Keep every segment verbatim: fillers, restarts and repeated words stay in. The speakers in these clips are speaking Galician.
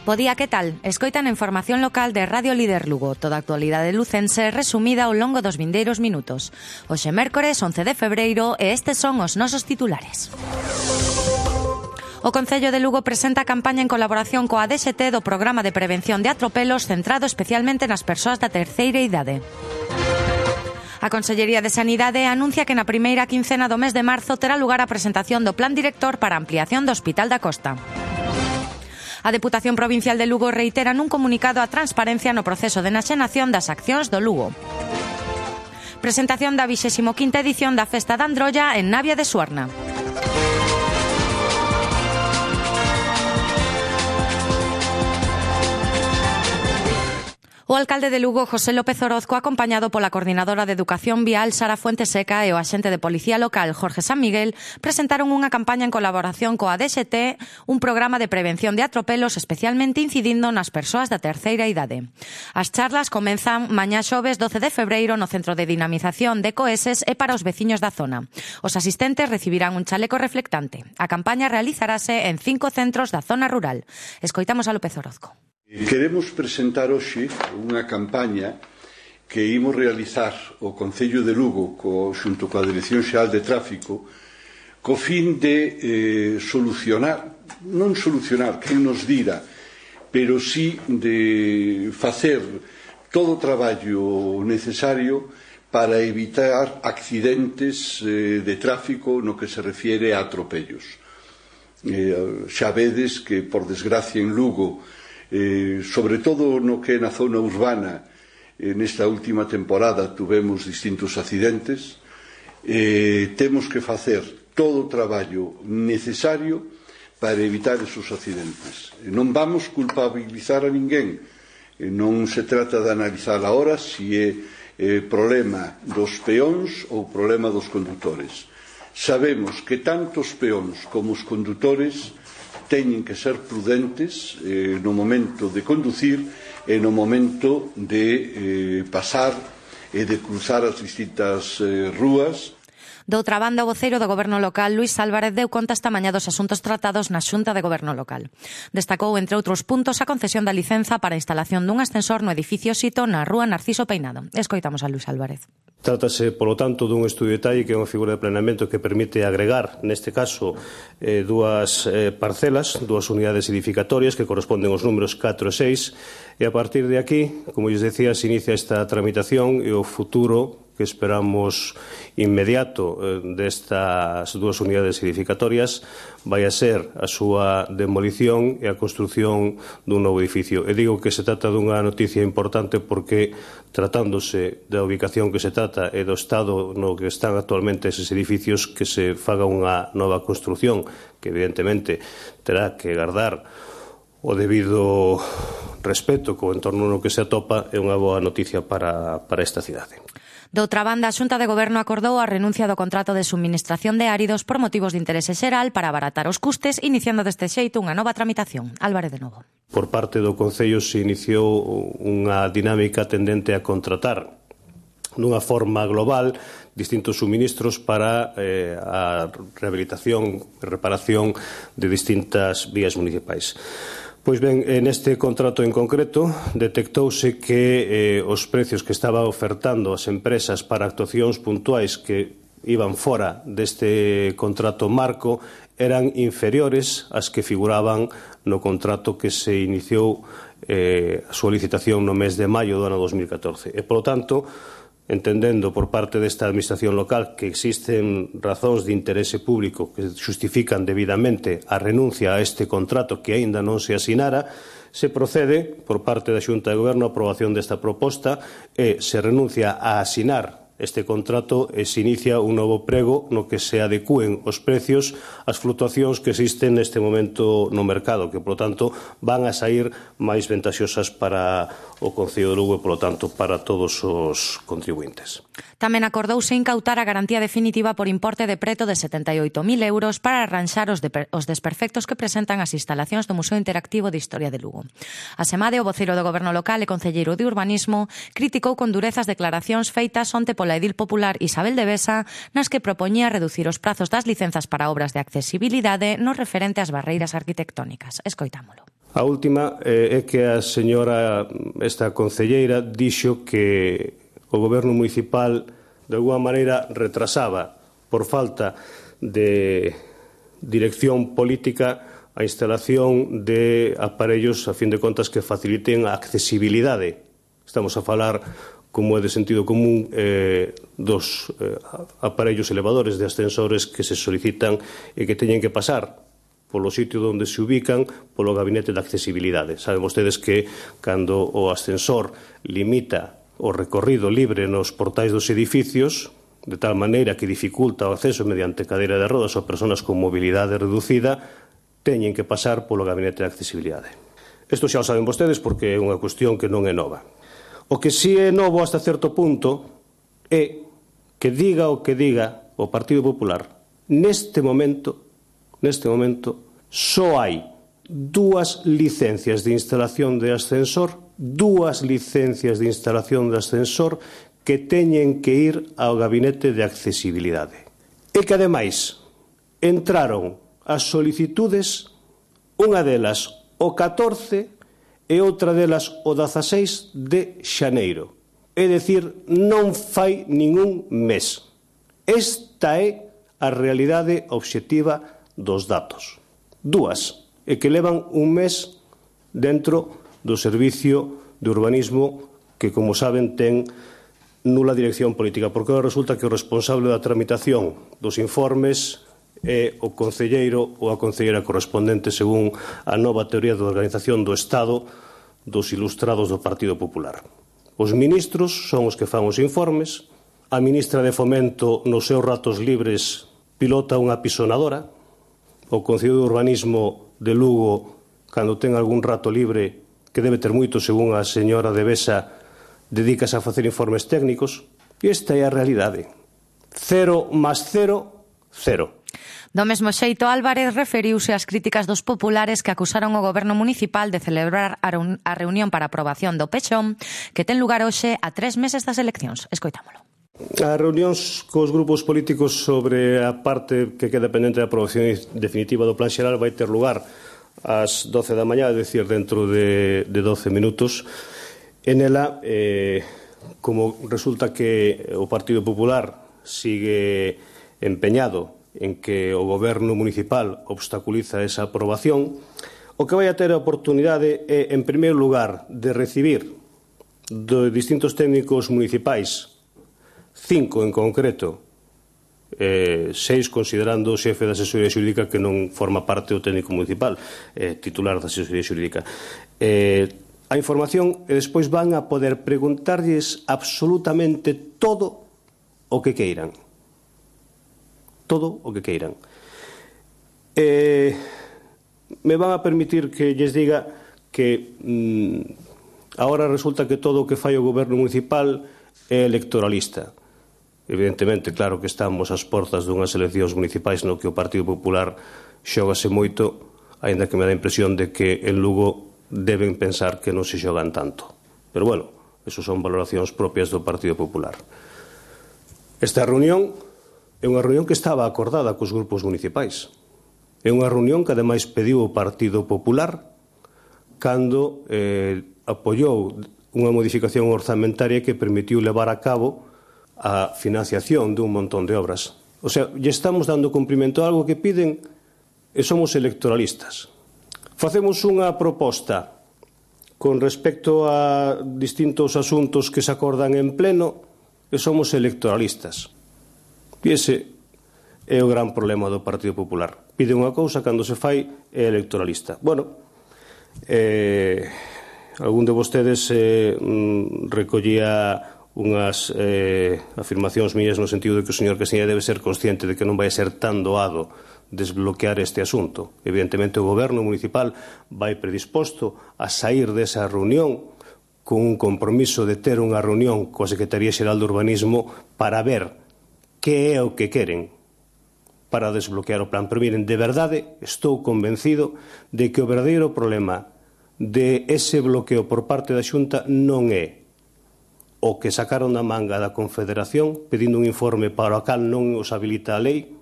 Bo día, que tal? Escoitan a información local de Radio Líder Lugo, toda a actualidade lucense resumida ao longo dos vindeiros minutos. Hoxe mércores once de febreiro e estes son os nosos titulares. O Concello de Lugo presenta a campaña en colaboración coa D S T do Programa de Prevención de Atropelos centrado especialmente nas persoas da terceira idade. A Consellería de Sanidade anuncia que na primeira quincena do mes de marzo terá lugar a presentación do Plan Director para a ampliación do Hospital da Costa. A Deputación Provincial de Lugo reitera nun comunicado a transparencia no proceso de enaxenación das accións do Lugo. Presentación da vixésima quinta edición da Festa da Androlla en Navia de Suarna. O alcalde de Lugo, José López Orozco, acompañado pola coordinadora de Educación Vial, Sara Fuenteseca, e o axente de Policía Local, Jorge San Miguel, presentaron unha campaña en colaboración coa D S T, un programa de prevención de atropelos especialmente incidindo nas persoas da terceira idade. As charlas comenzan mañá xoves doce de febreiro no Centro de Dinamización de Coeses e para os veciños da zona. Os asistentes recibirán un chaleco reflectante. A campaña realizarase en cinco centros da zona rural. Escoitamos a López Orozco. Queremos presentar hoxe unha campaña que imos realizar o Concello de Lugo co, xunto coa Dirección Xeral de Tráfico co fin de eh, solucionar, non solucionar, quen nos dira, pero sí de facer todo o traballo necesario para evitar accidentes eh, de tráfico no que se refiere a atropellos. Eh, xa vedes que, por desgracia, en Lugo, Eh, sobre todo no que é na zona urbana, eh, nesta última temporada tuvemos distintos accidentes. Eh, temos que facer todo o traballo necesario para evitar esos accidentes. Eh, non vamos culpabilizar a ninguén. Eh, non se trata de analizar agora se é eh, problema dos peóns ou problema dos condutores. Sabemos que tanto os peóns como os condutores teñen que ser prudentes eh, no momento de conducir e no momento de eh, pasar e de cruzar as distintas eh, rúas. Doutra banda, o voceiro do Goberno local, Luís Álvarez, deu conta esta mañá dos asuntos tratados na Xunta de Goberno local. Destacou, entre outros puntos, a concesión da licenza para a instalación dun ascensor no edificio Sito na rúa Narciso Peinado. Escoitamos a Luís Álvarez. Trátase, polo tanto, dun estudio de detalle que é unha figura de planeamento que permite agregar, neste caso, eh, dúas eh, parcelas, dúas unidades edificatorias que corresponden aos números catro e seis, e a partir de aquí, como lles decía, se inicia esta tramitación e o futuro que esperamos inmediato eh, destas dúas unidades edificatorias vai a ser a súa demolición e a construción dun novo edificio. E digo que se trata dunha noticia importante porque, tratándose da ubicación que se trata e do estado no que están actualmente eses edificios, que se faga unha nova construción que evidentemente terá que guardar o debido respeto co entorno no que se atopa, é unha boa noticia para, para esta cidade. Doutra banda, a Xunta de Goberno acordou a renuncia do contrato de suministración de áridos por motivos de interese xeral para abaratar os custes, iniciando deste xeito unha nova tramitación. Álvarez de novo. Por parte do Concello se iniciou unha dinámica tendente a contratar dunha forma global distintos suministros para eh, a rehabilitación e reparación de distintas vías municipais. Pois ben, neste contrato en concreto detectouse que eh, os precios que estaban ofertando as empresas para actuacións puntuais que iban fora deste contrato marco eran inferiores ás que figuraban no contrato que se iniciou eh, a súa licitación no mes de maio do ano dos mil catorce. E, polo tanto, entendendo por parte desta administración local que existen razóns de interese público que xustifican debidamente a renuncia a este contrato que aínda non se asinara, se procede por parte da Xunta de Goberno a aprobación desta proposta e se renuncia a asinar este contrato e se inicia un novo prego no que se adecúen os precios ás flutuacións que existen neste momento no mercado, que, polo tanto, van a sair máis ventaxosas para o Concello de Lugo e, polo tanto, para todos os contribuintes. Tamén acordouse incautar a garantía definitiva por importe de preto de setenta e oito mil euros para arranxar os, de, os desperfectos que presentan as instalacións do Museo Interactivo de Historia de Lugo. Asemade, o voceiro do Goberno local e concelleiro de Urbanismo criticou con dureza as declaracións feitas onte pola edil popular Isabel de Besa, nas que propoñía reducir os prazos das licenzas para obras de accesibilidade no referente ás barreiras arquitectónicas. Escoitámolo. A última é que a señora, esta concelleira, dixo que o goberno municipal de alguma maneira retrasaba por falta de dirección política a instalación de aparellos, a fin de contas, que faciliten a accesibilidade. Estamos a falar, como é de sentido común, eh, dos eh, aparellos elevadores de ascensores que se solicitan e que teñen que pasar polo sitio onde se ubican polo gabinete de accesibilidade. Saben vostedes que cando o ascensor limita o recorrido libre nos portais dos edificios, de tal maneira que dificulta o acceso mediante cadeira de rodas ou persoas con mobilidade reducida, teñen que pasar polo gabinete de accesibilidade. Isto xa o saben vostedes porque é unha cuestión que non é nova. O que si é novo hasta certo punto é que diga o que diga o Partido Popular, neste momento, neste momento, só hai dúas licencias de instalación de ascensor, dúas licencias de instalación de ascensor que teñen que ir ao gabinete de accesibilidade. E que, ademais, entraron as solicitudes, unha delas o catorce e outra delas o dezaseis de xaneiro. É dicir, non fai ningún mes. Esta é a realidade obxectiva dos datos. Dúas, e que levan un mes dentro do Servicio de Urbanismo que, como saben, ten nula dirección política, porque resulta que o responsable da tramitación dos informes é o concelleiro ou a concelleira correspondente según a nova teoría de organización do Estado dos ilustrados do Partido Popular. Os ministros son os que fan os informes, a ministra de Fomento nos seus ratos libres pilota unha pisonadora, o Concello de Urbanismo de Lugo, cando ten algún rato libre, que debe ter moito según a señora de Besa, dedícase a facer informes técnicos, e esta é a realidade. Cero máis cero, cero. Do mesmo xeito, Álvarez referiuse ás críticas dos populares que acusaron o goberno municipal de celebrar a reunión para aprobación do pechón que ten lugar hoxe a tres meses das eleccións. Escoitámolo. As reunións cos grupos políticos sobre a parte que queda pendente da aprobación definitiva do Plan Xeral vai ter lugar ás doce da mañá, é dicir, dentro de, de doce minutos. En ela, eh, como resulta que o Partido Popular sigue empeñado en que o goberno municipal obstaculiza esa aprobación, o que vai a ter a oportunidade é, en primeiro lugar, de recibir de distintos técnicos municipais, cinco en concreto, eh, seis considerando o xefe da asesoría xurídica que non forma parte do técnico municipal, eh, titular da asesoría xurídica, eh, a información e despois van a poder preguntarlles absolutamente todo o que queiran. Todo o que queiran. Eh, me van a permitir que lles diga que mm, agora resulta que todo o que fai o goberno municipal é electoralista. Evidentemente, claro que estamos ás portas dunhas eleccións municipais no que o Partido Popular xógase moito, aínda que me dá a impresión de que en Lugo deben pensar que non se xogan tanto. Pero, bueno, eso son valoracións propias do Partido Popular. Esta reunión é unha reunión que estaba acordada cos grupos municipais. É unha reunión que, ademais, pediu o Partido Popular cando eh, apoiou unha modificación orzamentaria que permitiu levar a cabo a financiación dun montón de obras. O sea, lle estamos dando cumprimento a algo que piden e somos electoralistas. Facemos unha proposta con respecto a distintos asuntos que se acordan en pleno e somos electoralistas. E ese é o gran problema do Partido Popular. Pide unha cousa, cando se fai é electoralista. Bueno, eh, algún de vostedes eh, recollía unhas eh, afirmacións mías no sentido de que o señor Casiña debe ser consciente de que non vai ser tan doado desbloquear este asunto. Evidentemente, o goberno municipal vai predisposto a sair desa reunión con un compromiso de ter unha reunión coa Secretaría Xeral de Urbanismo para ver que é o que queren para desbloquear o plan. Pero miren, de verdade, estou convencido de que o verdadeiro problema de ese bloqueo por parte da Xunta non é o que sacaron da manga da Confederación pedindo un informe para o cal non os habilita a lei,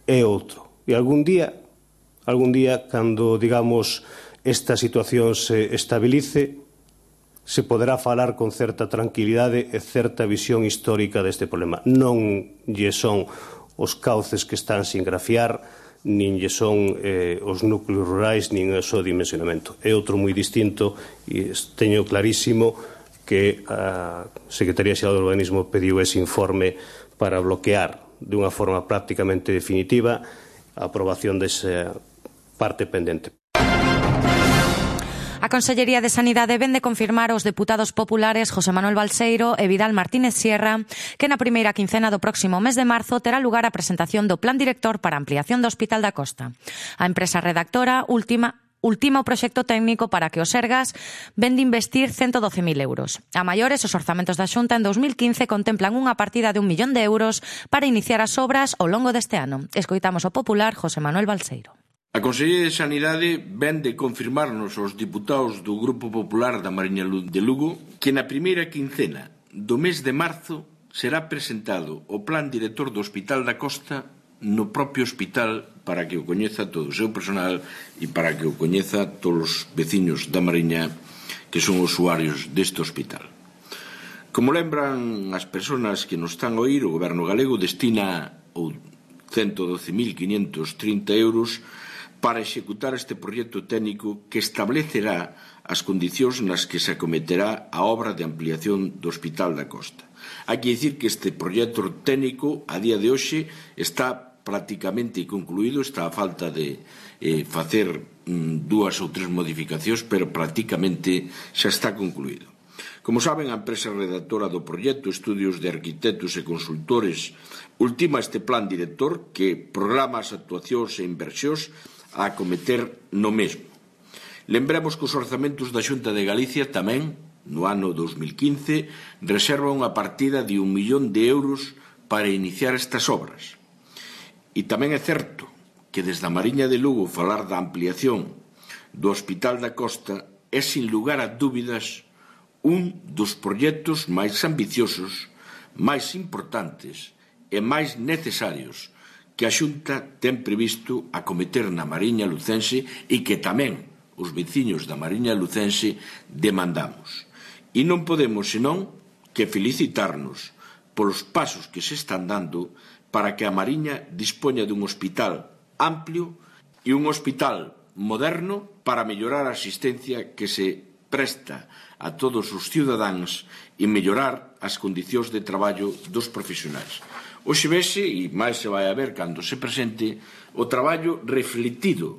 é outro. E algún día, algún día, cando, digamos, esta situación se estabilice, se poderá falar con certa tranquilidade e certa visión histórica deste problema. Non lle son os cauces que están sin grafiar, nin lle son eh, os núcleos rurais, nin o seu dimensionamento. É outro moi distinto e teño clarísimo que a Secretaría Xeral do Urbanismo pediu ese informe para bloquear de unha forma prácticamente definitiva a aprobación desa parte pendente. A Consellería de Sanidade vén de confirmar aos deputados populares José Manuel Balseiro e Vidal Martínez Sierra que na primeira quincena do próximo mes de marzo terá lugar a presentación do Plan Director para a ampliación do Hospital da Costa. A empresa redactora última Ultima o proxecto técnico para que o Sergas ven de investir ciento doce mil euros. A maiores, os orzamentos da Xunta en dos mil quince contemplan unha partida de un millón de euros para iniciar as obras ao longo deste ano. Escoitamos o popular José Manuel Balseiro. A Consellería de Sanidade ven de confirmarnos aos diputados do Grupo Popular da Mariña de Lugo que na primeira quincena do mes de marzo será presentado o Plan Director do Hospital da Costa no propio hospital para que o coñeza todo o seu personal e para que o coñeza todos os veciños da Mariña que son usuarios deste hospital. Como lembran as persoas que nos están a oír, o Goberno galego destina ciento doce mil quinhentos trinta euros para executar este proxecto técnico que establecerá as condicións nas que se acometerá a obra de ampliación do Hospital da Costa. Hai que dicir que este proxecto técnico, a día de hoxe, está prácticamente concluído, está a falta de eh, facer mm, dúas ou tres modificacións, pero prácticamente xa está concluído. Como saben, a empresa redactora do proxecto, Estudios de Arquitectos e Consultores, ultima este plan director que programa as actuacións e inversións a acometer no mesmo. Lembremos que os orzamentos da Xunta de Galicia tamén, no ano dos mil quince, reserva unha partida de un millón de euros para iniciar estas obras. E tamén é certo que desde a Mariña de Lugo falar da ampliación do Hospital da Costa é, sin lugar a dúbidas, un dos proxectos máis ambiciosos, máis importantes e máis necesarios que a Xunta ten previsto acometer na Mariña lucense e que tamén os veciños da Mariña lucense demandamos. E non podemos senón que felicitarnos polos pasos que se están dando para que a Mariña dispoña dun hospital amplio e un hospital moderno para mellorar a asistencia que se presta a todos os cidadáns e mellorar as condicións de traballo dos profesionais. Hoxe vese, e máis se vai a ver cando se presente, o traballo refletido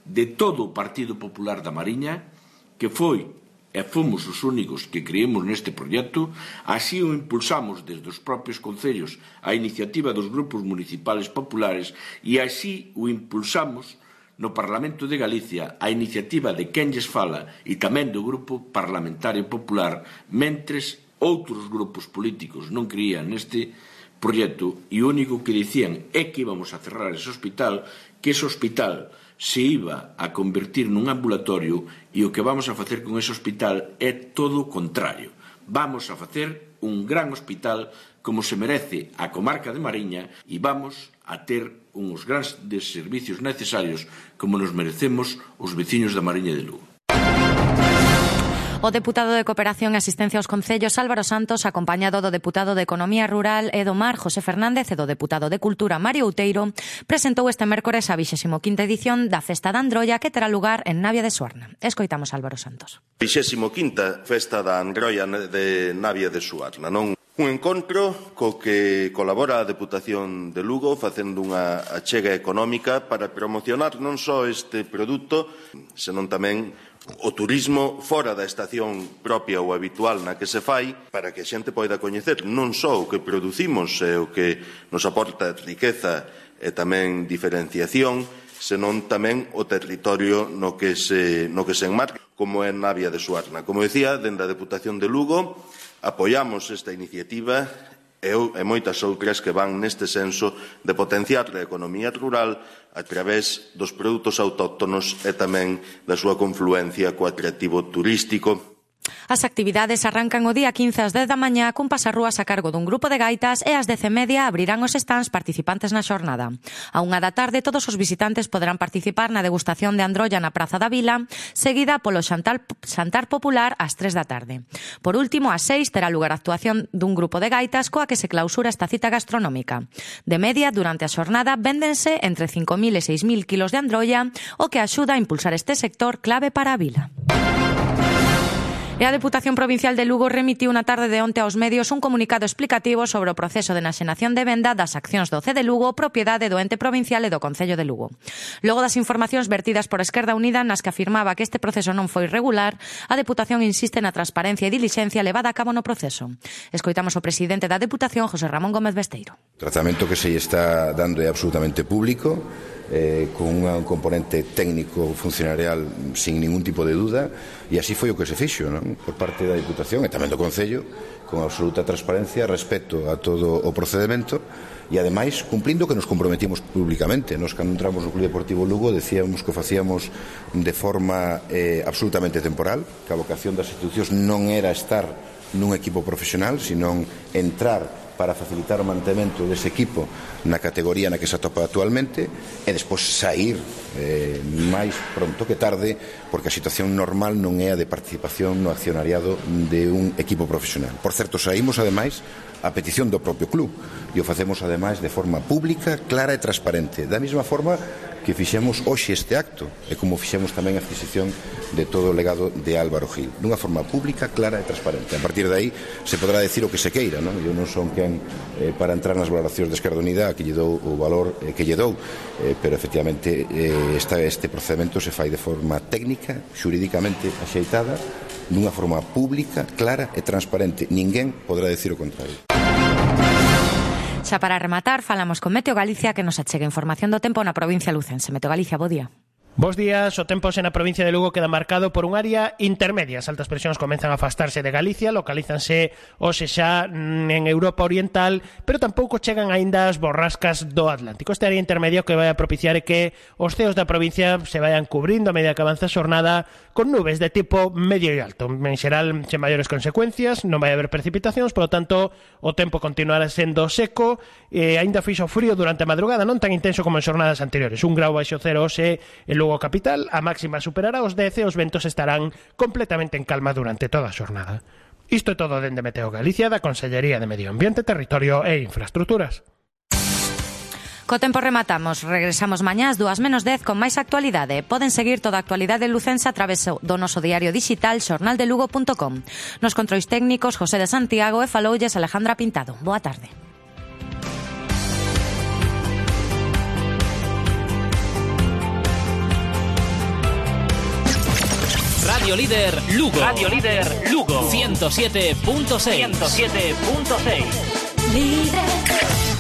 de todo o Partido Popular da Mariña, que foi e fomos os únicos que creemos neste proxecto, así o impulsamos desde os propios concellos a iniciativa dos grupos municipales populares e así o impulsamos no Parlamento de Galicia a iniciativa de quen lles fala e tamén do Grupo Parlamentario Popular, mentres outros grupos políticos non creían neste proxecto e o único que dicían é que íbamos a cerrar ese hospital, que ese hospital se iba a convertir nun ambulatorio e o que vamos a facer con ese hospital é todo o contrario. Vamos a facer un gran hospital como se merece a comarca de Mariña e vamos a ter uns grandes servicios necesarios como nos merecemos os veciños da Mariña de Lugo. O deputado de Cooperación e Asistencia aos Concellos Álvaro Santos, acompañado do deputado de Economía Rural e do Mar José Fernández e do deputado de Cultura Mario Outeiro, presentou este mércores a vixésima quinta edición da Festa da Androlla que terá lugar en Navia de Suarna. Escoitamos Álvaro Santos. vixésima quinta Festa da Androlla de Navia de Suarna, non? Un encontro co que colabora a Deputación de Lugo facendo unha achega económica para promocionar non só este produto, senón tamén o turismo fora da estación propia ou habitual na que se fai, para que a xente poida coñecer non só o que producimos e o que nos aporta riqueza e tamén diferenciación, senón tamén o territorio no que se, no que se enmarca, como é Navia de Suarna. Como decía, dende a Deputación de Lugo, apoiamos esta iniciativa e, e moitas outras que van neste senso de potenciar a economía rural a través dos produtos autóctonos e tamén da súa confluencia co atractivo turístico. As actividades arrancan o día quince ás dez da mañá cun pasarrúas a cargo dun grupo de gaitas e ás dez e media abrirán os stands participantes na xornada. A unha da tarde todos os visitantes poderán participar na degustación de androlla na Praza da Vila, seguida polo xantar, xantar popular ás tres da tarde. Por último, ás seis terá lugar a actuación dun grupo de gaitas coa que se clausura esta cita gastronómica. De media, durante a xornada, véndense entre cinco mil e seis mil kilos de androlla, o que axuda a impulsar este sector clave para a vila. E a Deputación Provincial de Lugo remitiu na tarde de onte aos medios un comunicado explicativo sobre o proceso de enaxenación de venda das accións do C de Lugo, propiedade do ente provincial e do Concello de Lugo. Logo das informacións vertidas por Esquerda Unida nas que afirmaba que este proceso non foi regular, a Deputación insiste na transparencia e dilixencia levada a cabo no proceso. Escoitamos o presidente da Deputación, José Ramón Gómez Besteiro. O tratamento que se está dando é absolutamente público, Eh, con un componente técnico funcionarial sin ningún tipo de duda, e así foi o que se fixo, non? Por parte da Diputación e tamén do Concello, con absoluta transparencia respecto a todo o procedimento e ademais cumplindo que nos comprometimos públicamente. Nos cando entramos no Club Deportivo Lugo decíamos que o facíamos de forma eh, absolutamente temporal, que a vocación das institucións non era estar nun equipo profesional, sino entrar para facilitar o mantemento dese equipo na categoría na que se atopa actualmente e despois sair eh, máis pronto que tarde, porque a situación normal non é a de participación no accionariado de un equipo profesional. Por certo, saímos ademais a petición do propio club e o facemos ademais de forma pública, clara e transparente, da mesma forma que fixemos hoxe este acto e como fixemos tamén a adquisición de todo o legado de Álvaro Gil, dunha forma pública, clara e transparente. A partir de aí se podrá decir o que se queira, non? Eu non son quen eh, para entrar nas valoracións de Esquerda Unida que lle dou o valor eh, que lle dou, eh, pero efectivamente eh, esta, este procedimento se fai de forma técnica, xurídicamente axeitada, dunha forma pública, clara e transparente. Ninguén podrá decir o contrario. Xa para rematar, falamos con Meteo Galicia que nos achega información do tempo na provincia lucense. Meteo Galicia, bo día. Bos días, o tempo na provincia de Lugo queda marcado por un área intermedia. As altas presións comenzan a afastarse de Galicia, localízanse hoxe xa en Europa Oriental, pero tampouco chegan aínda as borrascas do Atlántico. Este área intermedia que vai a propiciar é que os ceos da provincia se vayan cubrindo a medida que avanza a xornada con nubes de tipo medio e alto. En xeral, sen maiores consecuencias, non vai haber precipitacións, por lo tanto, o tempo continuará sendo seco, e aínda fixo frío durante a madrugada, non tan intenso como en xornadas anteriores. Un grau baixo cero hoxe en Lugo capital, a máxima superará os dez e os ventos estarán completamente en calma durante toda a xornada. Isto é todo dende Meteo Galicia, da Consellería de Medio Ambiente, Territorio e Infraestructuras. Co tempo rematamos, regresamos mañá ás dúas menos dez con máis actualidade. Poden seguir toda a actualidade lucense a través do noso diario digital xornal de lugo punto com. Nos controis técnicos José de Santiago e faloulles Alejandra Pintado. Boa tarde. Radio Líder Lugo. Radio Líder Lugo. ciento siete punto seis. ciento siete punto seis. Líder.